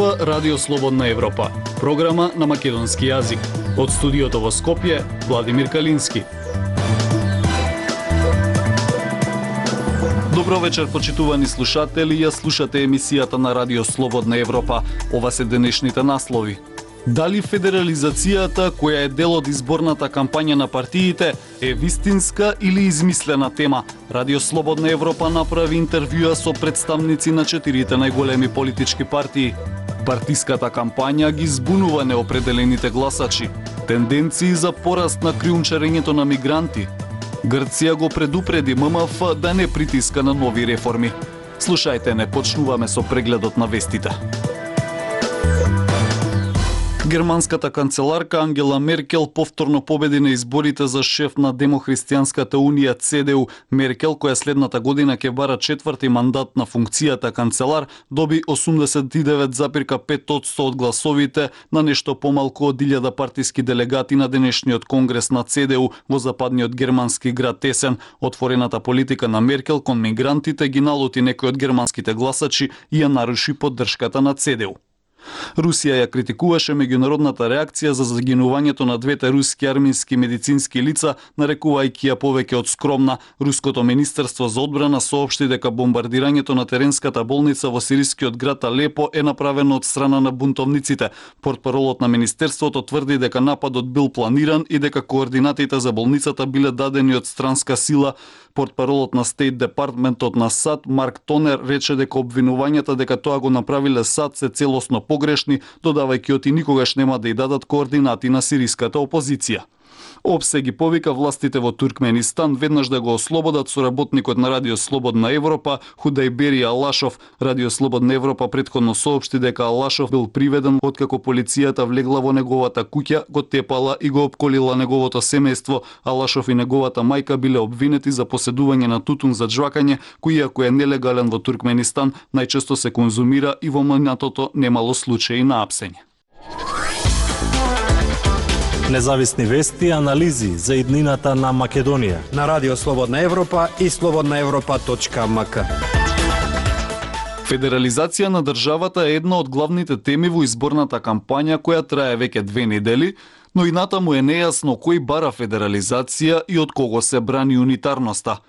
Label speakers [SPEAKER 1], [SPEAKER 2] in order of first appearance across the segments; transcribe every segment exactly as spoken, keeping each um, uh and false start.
[SPEAKER 1] слуша Радио Слободна Европа, програма на македонски јазик. Од студиото во Скопје, Владимир Калински. Добро вечер, почитувани слушатели, ја слушате емисијата на Радио Слободна Европа. Ова се денешните наслови. Дали федерализацијата, која е дел од изборната кампања на партиите, е вистинска или измислена тема? Радио Слободна Европа направи интервјуа со представници на четирите најголеми политички партии. Партиската кампања ги збунува неопределените гласачи. Тенденции за пораст на криумчарењето на мигранти. Грција го предупреди ММФ да не притиска на нови реформи. Слушајте, не почнуваме со прегледот на вестите. Германската канцеларка Ангела Меркел повторно победи на изборите за шеф на Демохристијанската унија Це Де У. Меркел, која следната година ќе бара четврти мандат на функцијата канцелар, доби осумдесет и девет запирка пет одсто од гласовите на нешто помалку од илјада партиски делегати на денешниот конгрес на Це Де У во западниот германски град Есен. Отворената политика на Меркел кон мигрантите ги налути некои од германските гласачи и ја наруши поддршката на Це Де У. Русија ја критикуваше меѓународната реакција за загинувањето на двете руски армиски медицински лица, нарекувајќи ја повеќе од скромна. Руското министерство за одбрана соопшти дека бомбардирањето на теренската болница во сирискиот град Алепо е направено од страна на бунтовниците. Портпаролот на министерството тврди дека нападот бил планиран и дека координатите за болницата биле дадени од странска сила. Портпаролот на Стейт Департментот на САД Марк Тонер рече дека обвинувањата дека тоа го направиле САД се целосно погрешни, додавајќи оти никогаш нема да ја дадат координати на сириската опозиција. ОПСЕ ги повика властите во Туркменистан веднаш да го ослободат соработникот на Радио Слободна Европа Худайбери Алашов. Радио Слободна Европа претходно соопшти дека Алашов бил приведен откако полицијата влегла во неговата куќа, го тепала и го опколила неговото семејство. Алашов и неговата мајка биле обвинети за поседување на тутун за џвакање, кој иако е нелегален во Туркменистан, најчесто се конзумира и во минатото немало случаи на апсење.
[SPEAKER 2] Независни вести и анализи за иднината на Македонија
[SPEAKER 3] на Радио Слободна Европа и слободна европа точка ем ка.
[SPEAKER 1] Федерализација на државата е една од главните теми во изборната кампања која трае веќе две недели, но и натаму е нејасно кој бара федерализација и од кого се брани унитарноста.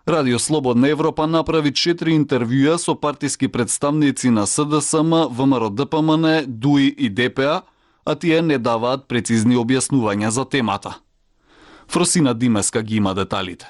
[SPEAKER 1] Радио Слободна Европа направи четири интервјуа со партиски представници на С Д С М, В М Р Д П М Н, Д У И и Д П А, а тие не даваат прецизни објаснувања за темата. Фросина Димеска ги има деталите.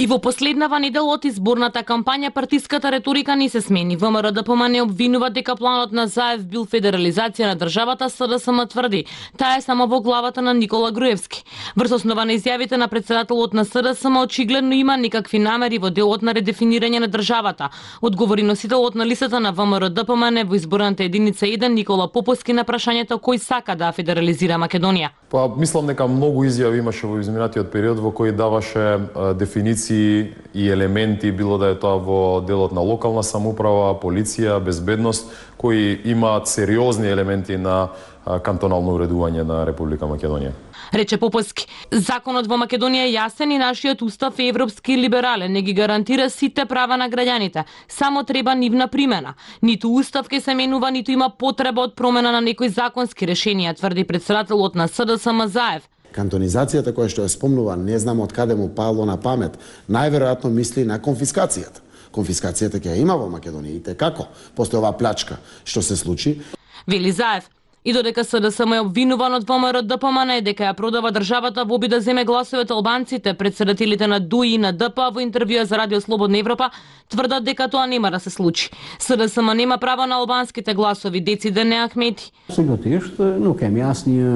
[SPEAKER 4] И во последнава недела од изборната кампања партиската реторика не се смени. В М Р Д П М Н обвинува дека планот на Заев бил федерализација на државата, С Д С М тврди таа е само во главата на Никола Груевски. Врз основа на изјавите на претседателот на С Д С М очигледно има некакви намери во делот на редефинирање на државата, одговори носителот на листата на В М Р Д П М Н во изборната единица еден Никола Поповски на прашањето кој сака да федерализира Македонија.
[SPEAKER 5] Па мислам дека многу изјави имаше во изминатиот период во кој даваше а, дефиниции и елементи, било да е тоа во делот на локална самоуправа, полиција, безбедност, кои имаат сериозни елементи на а, кантонално уредување на Република Македонија.
[SPEAKER 4] Рече Поповски, законот во Македонија е јасен и нашиот устав е европски и либерален, не ги гарантира сите права на граѓаните, само треба нивна примена. Ниту устав ке се менува, ниту има потреба од промена на некои законски решенија, тврди претседателот на С Д С М Заев.
[SPEAKER 6] Кантонизацијата која што ја спомнува, не знам од каде му пало на памет, најверојатно мисли на конфискацијата. Конфискацијата ќе ја има во Македонија и те како, после оваа плячка што се случи.
[SPEAKER 4] Вели Заев. И додека С Д С М е обвинуван од В М Р Д П М Н дека ја продава државата во обид да земе гласовете албанците, претседателите на Д У И и на Д П А во интервјуа за Радио Слободна Европа тврдат дека тоа нема да се случи. С Д С М нема право на албанските гласови, дециде не Ахмети.
[SPEAKER 7] Absolutisht nuk kemi asnjë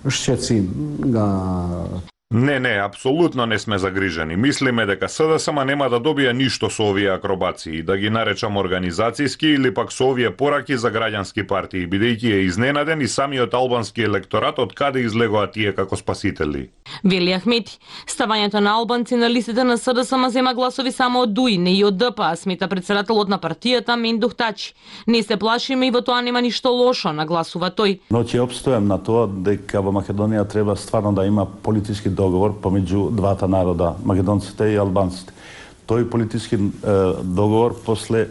[SPEAKER 7] shqetësim nga
[SPEAKER 8] Не, не, апсолутно не сме загрижени. Мислиме дека С Д С М нема да добие ништо со овие акробации, да ги наречам организацијски или пак со овие пораки за граѓански партии, бидејќи е изненаден и самиот албански електорат од каде излегоа тие како спасители.
[SPEAKER 4] Вели Ахмети, ставањето на албанци на листите на С Д С М зема гласови само од Д У И, не и од Д П А, смета претседателот на партијата Мендух Тачи. Не се плашиме и во тоа нема ништо лошо, нагласува тој.
[SPEAKER 2] Но ќе обстојам на тоа дека во Македонија треба стварно да има политички договор помеѓу двата народа, македонците и албанците. Тој политички е, договор после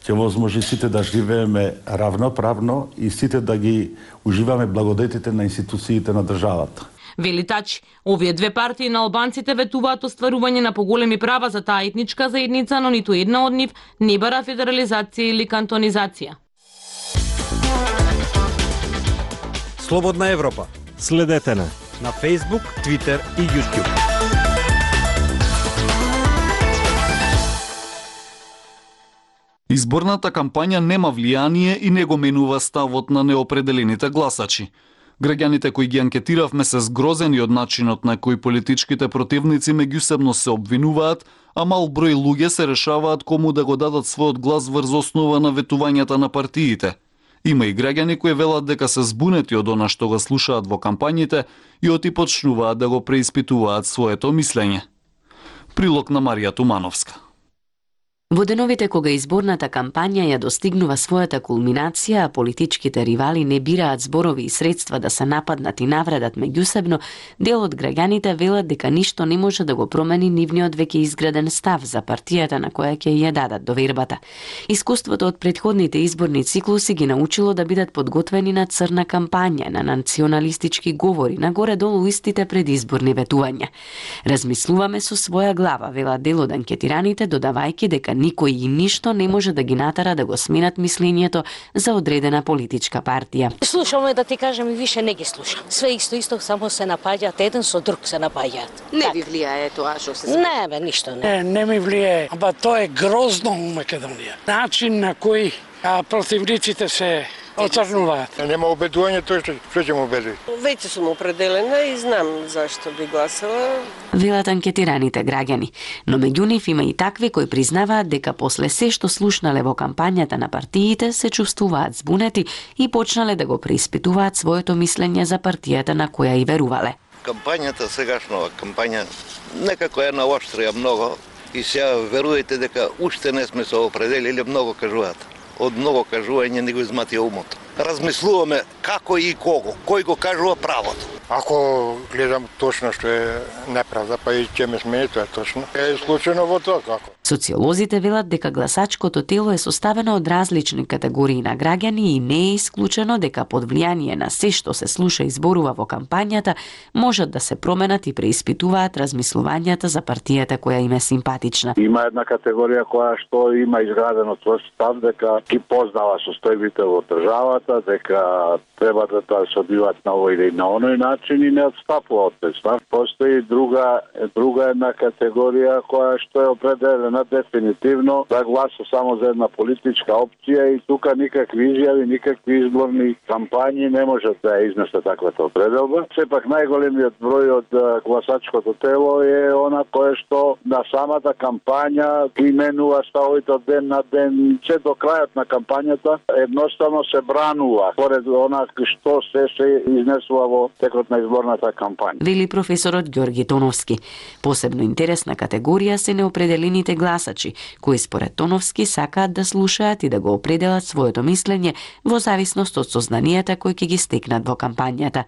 [SPEAKER 2] ќе возможи сите да живееме равноправно и сите да ги уживаме благодетите на институциите на државата.
[SPEAKER 4] Вели Тачи, овие две партии на албанците ветуваат остварување на поголеми права за таа етничка заедница, но ниту една од нив не бара федерализација или кантонизација.
[SPEAKER 3] Слободна Европа.
[SPEAKER 9] Следете на
[SPEAKER 3] на Facebook, Twitter и YouTube.
[SPEAKER 1] Изборната кампања нема влијание и не го менува ставот на неопределените гласачи. Граѓаните кои ги анкетиравме се згрозени од начинот на кој политичките противници меѓусебно се обвинуваат, а мал број луѓе се решаваат кому да го дадат својот глас врз основа на ветувањата на партиите. Има и граѓани кои велат дека се збунети од она што го слушаат во кампањите и оти почнуваат да го преиспитуваат своето мислење. Прилог на Марија Тумановска.
[SPEAKER 10] Во деновите кога изборната кампања ја достигнува својата кулминација, а политичките ривали не бираат зборови и средства да се нападнат и навредат меѓусебно, дел од граѓаните велат дека ништо не може да го промени нивниот веќе изграден став за партијата на која ќе ја дадат довербата. Искуството од претходните изборни циклуси ги научило да бидат подготвени на црна кампања, на националистички говори, на горе-долу истите предизборни ветувања. Размислуваме со своја глава, велат дел од анкетираните, додавајќи дека никој и ништо не може да ги натера да го сменат мислењето за одредена политичка партија.
[SPEAKER 11] Слушаме, да ти кажам, и више не ги слушам. Све исто исто, само се напаѓаат, еден со друг се напаѓаат.
[SPEAKER 10] Не ви влијае тоа што се
[SPEAKER 11] Не, бе, ништо не.
[SPEAKER 12] Не, не ми влијае. Ама тоа е грозно у Македонија. Начин на кој а, противниците се оцрнуваат.
[SPEAKER 13] Нема убедување тоа што што ќе му убеди.
[SPEAKER 14] Веќе сум определена и знам зашто би гласала.
[SPEAKER 10] Велат анкетираните граѓани, но меѓу нив има и такви кои признаваат дека после се што слушнале во кампањата на партиите се чувствуваат збунети и почнале да го преиспитуваат своето мислење за партијата на која и верувале.
[SPEAKER 15] Кампањата сегашнова кампања некако е наоштрија многу и сега верувајте дека уште не сме се определили, многу кажуваат. Од многу кажување не го изматија умот. Размислуваме како и кого, кој го кажува правото.
[SPEAKER 13] Ако гледам точно што е неправда, па и ќе ме смее, тоа е точно. Е случајно во тоа како?
[SPEAKER 10] Социолозите велат дека гласачкото тело е составено од различни категории на граѓани и не е исклучено дека под влијание на се што се слуша и зборува во кампањата можат да се променат и преиспитуваат размислувањата за партијата која им е симпатична.
[SPEAKER 16] Има една категорија која што има изградено тврст став дека ги познава состојбите во државата, дека треба да тоа се одбиваат на овој или на оној начин и не отстапува од тој став. Постои друга друга една категорија која што е определена дефинитивно да гласа само за една политичка опција и тука никакви изјави, никакви изборни кампањи не можат да изнесат таквата определба. Сепак најголемиот број од гласачкото тело е она кое што на самата кампања ги менува ставовите од ден на ден, че до крајот на кампањата едноставно се бранува поред она што се се изнесува во текот на изборната кампања.
[SPEAKER 10] Вели професорот Ѓорги Тоновски. Посебно интересна категорија се неопределените гласачи, кои според Тоновски сакаат да слушаат и да го определат своето мислење во зависност од сознанијата кои ќе ги стекнат во кампањата.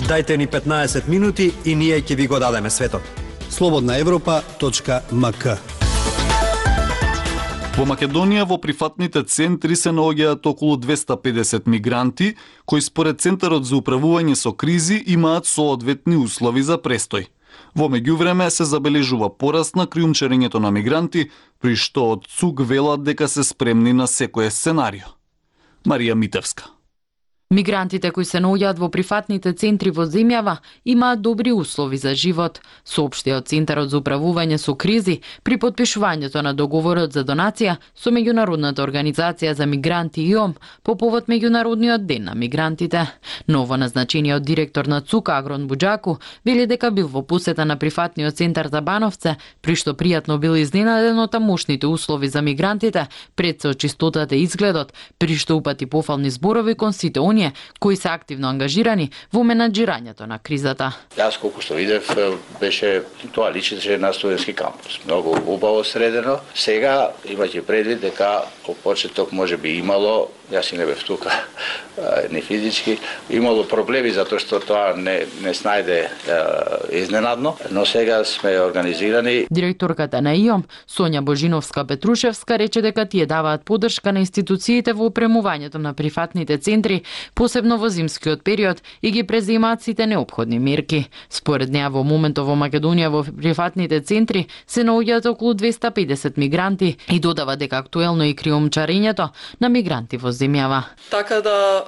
[SPEAKER 3] Дајте ни петнаесет минути и ние ќе ви го дадеме светот. слободна европа точка ем ка.
[SPEAKER 1] Во Македонија во прифатните центри се наоѓаат околу двесте и педесет мигранти, кои според Центарот за управување со кризи имаат соодветни услови за престој. Во меѓувреме се забележува пораст на криумчарењето на мигранти, при што од ЦУК велат дека се спремни на секој сценарио. Марија Митевска.
[SPEAKER 17] Мигрантите кои се наоѓаат во прифатните центри во земјава имаат добри услови за живот, соопшти од Центарот за управување со кризи при подпишувањето на договорот за донација со меѓународната организација за мигранти и ОМ по повод меѓународниот ден на мигрантите. Ново назначениот директор на ЦУК Агрон Буџаку вели дека бил во посета на прифатниот центар за Бановце, при што пријатно бил изненаден од тамошните услови за мигрантите, пред се од чистотата и изгледот, при што упати пофални зборови кон сите они унија кои се активно ангажирани во менаџирањето на кризата.
[SPEAKER 9] Јас колку што видев беше тоа личеше на студентски кампус. Многу убаво средено. Сега имајќи предвид дека во почеток можеби имало, јас и не бев тука, не физички, имало проблеми затоа што тоа не не снајде изненадно, но сега сме организирани.
[SPEAKER 17] Директорката на ИОМ, Сонја Божиновска-Петрушевска, рече дека тие даваат поддршка на институциите во опремувањето на прифатните центри, посебно во зимскиот период, и ги преземаат сите неопходни мерки. Според неа во моментов во Македонија во прифатните центри се наоѓаат околу двеста и педесет мигранти и додава дека актуелно и криумчарењето на мигранти во земјава.
[SPEAKER 18] Така да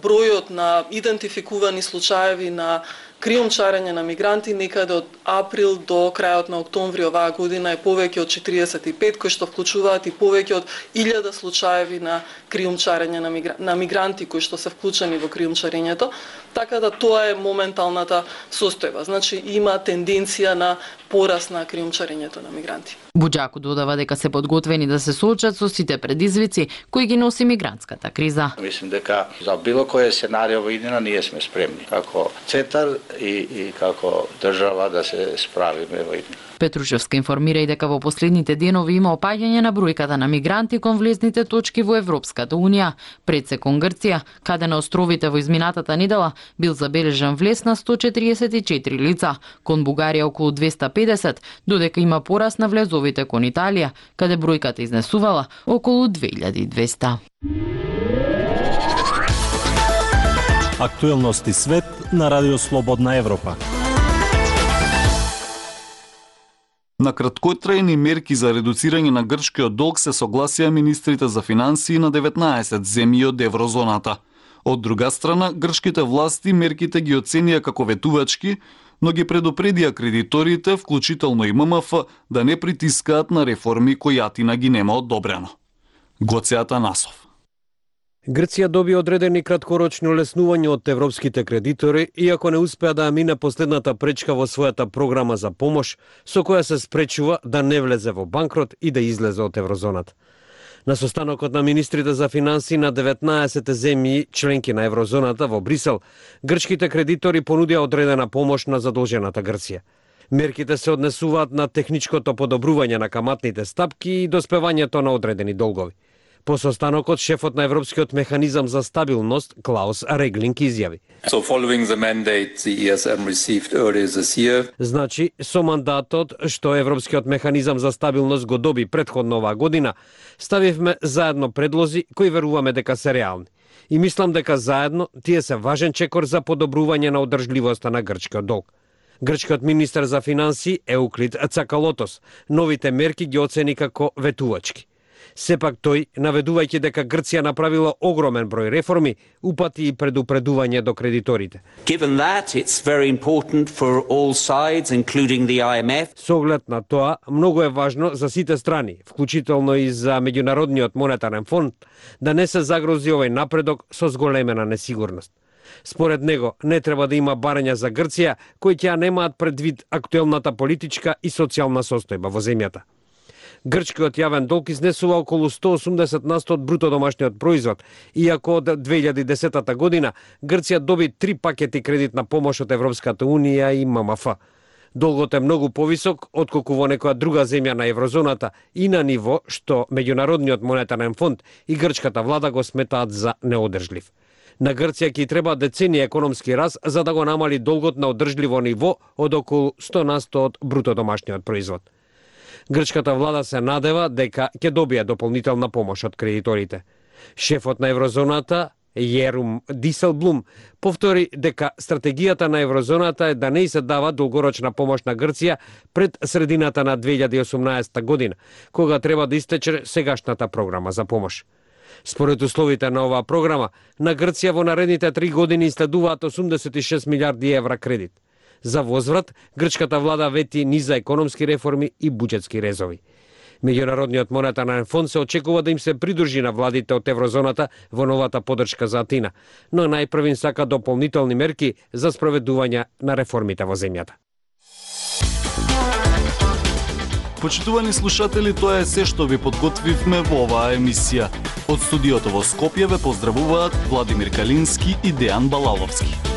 [SPEAKER 18] бројот на идентификувани случаеви на криумчарење на мигранти некаде од април до крајот на октомври оваа година е повеќе од четириесет и пет, кои што вклучуваат и повеќе од илјада случаеви на криумчарење на, мигра... на мигранти кои што се вклучени во криумчарењето. Така да тоа е моменталната состојба. Значи има тенденција на пораст на криумчарењето на мигранти.
[SPEAKER 17] Буџаку додава дека се подготвени да се соочат со сите предизвици кои ги носи мигрантската криза.
[SPEAKER 9] Мислим дека за било кој сценарио во иднина ние сме спремни како центар и, и како држава да се справиме во иднина.
[SPEAKER 17] Петрушевска информира и дека во последните денови има опаѓање на бројката на мигранти кон влезните точки во Европската Унија, пред се кон Грција, каде на островите во изминатата недела бил забележан влез на сто четириесет и четири лица, кон Бугарија околу двеста и педесет, додека има пораст на влезовите кон Италија, каде бројката изнесувала околу две илјади и двесте.
[SPEAKER 19] Актуелности свет на Радио Слободна Европа.
[SPEAKER 1] На краткотрајни мерки за редуцирање на грчкиот долг се согласија министрите за финансии на деветнаесет земји од еврозоната. Од друга страна, грчките власти мерките ги оценија како ветувачки, но ги предупредија кредиторите, вклучително и М М Ф, да не притискаат на реформи кои Атина ги нема одобрено. Гоце Атанасов.
[SPEAKER 20] Грција доби одредени краткорочни олеснувања од европските кредитори, иако не успеа да ја мине последната пречка во својата програма за помош, со која се спречува да не влезе во банкрот и да излезе од еврозоната. На состанокот на министрите за финансии на деветнаесет земји членки на еврозоната во Брисел, грчките кредитори понудија одредена помош на задолжената Грција. Мерките се однесуваат на техничкото подобрување на каматните стапки и доспевањето на одредени долгови. По состанокот, шефот на Европскиот механизам за стабилност, Клаус Реглинг, изјави.
[SPEAKER 21] So following the mandate the E S M received earlier this year.
[SPEAKER 20] Значи, со мандатот што Европскиот механизам за стабилност го доби претходно оваа година, ставивме заедно предлози кои веруваме дека се реални. И мислам дека заедно тие се важен чекор за подобрување на одржливоста на грчкиот долг. Грчкиот министер за финансии Еуклид Цакалотос новите мерки ги оцени како ветувачки. Сепак тој, наведувајќи дека Грција направила огромен број реформи, упати и предупредување до кредиторите.
[SPEAKER 22] Given that, it's very important for all sides, including the I M F.
[SPEAKER 20] Со оглед на тоа, многу е важно за сите страни, вклучително и за Меѓународниот монетарен фонд, да не се загрози овој напредок со зголемена несигурност. Според него, не треба да има барања за Грција, кои ќе немаат предвид актуелната политичка и социјална состојба во земјата. Грчкиот јавен долг изнесува околу сто осумдесет на сто од бруто домашниот производ, иако од две илјади и десета година Грција доби три пакети кредитна помош од Европската Унија и М М Ф. Долгот е многу повисок отколку во некоја друга земја на еврозоната и на ниво што Меѓународниот монетарен фонд и грчката влада го сметаат за неодржлив. На Грција ќе треба деценија економски раст за да го намали долгот на одржливо ниво од околу сто на сто од бруто домашниот производ. Грчката влада се надева дека ќе добие дополнителна помош од кредиторите. Шефот на еврозоната, Јерум Диселблум, повтори дека стратегијата на еврозоната е да не се дава долгорочна помош на Грција пред средината на две илјади и осумнаесета година, кога треба да истече сегашната програма за помош. Според условите на оваа програма, на Грција во наредните три години следуваат осумдесет и шест милиарди евра кредит. За возврат, грчката влада вети низа економски реформи и буџетски резови. Меѓународниот монетарен фонд се очекува да им се придружи на владите од еврозоната во новата поддршка за Атина, но најпрвин сака дополнителни мерки за спроведување на реформите во земјата.
[SPEAKER 1] Почитувани слушатели, тоа е се што ви подготвивме во оваа емисија. Од студиото во Скопје ве поздравуваат Владимир Калински и Дејан Балаловски.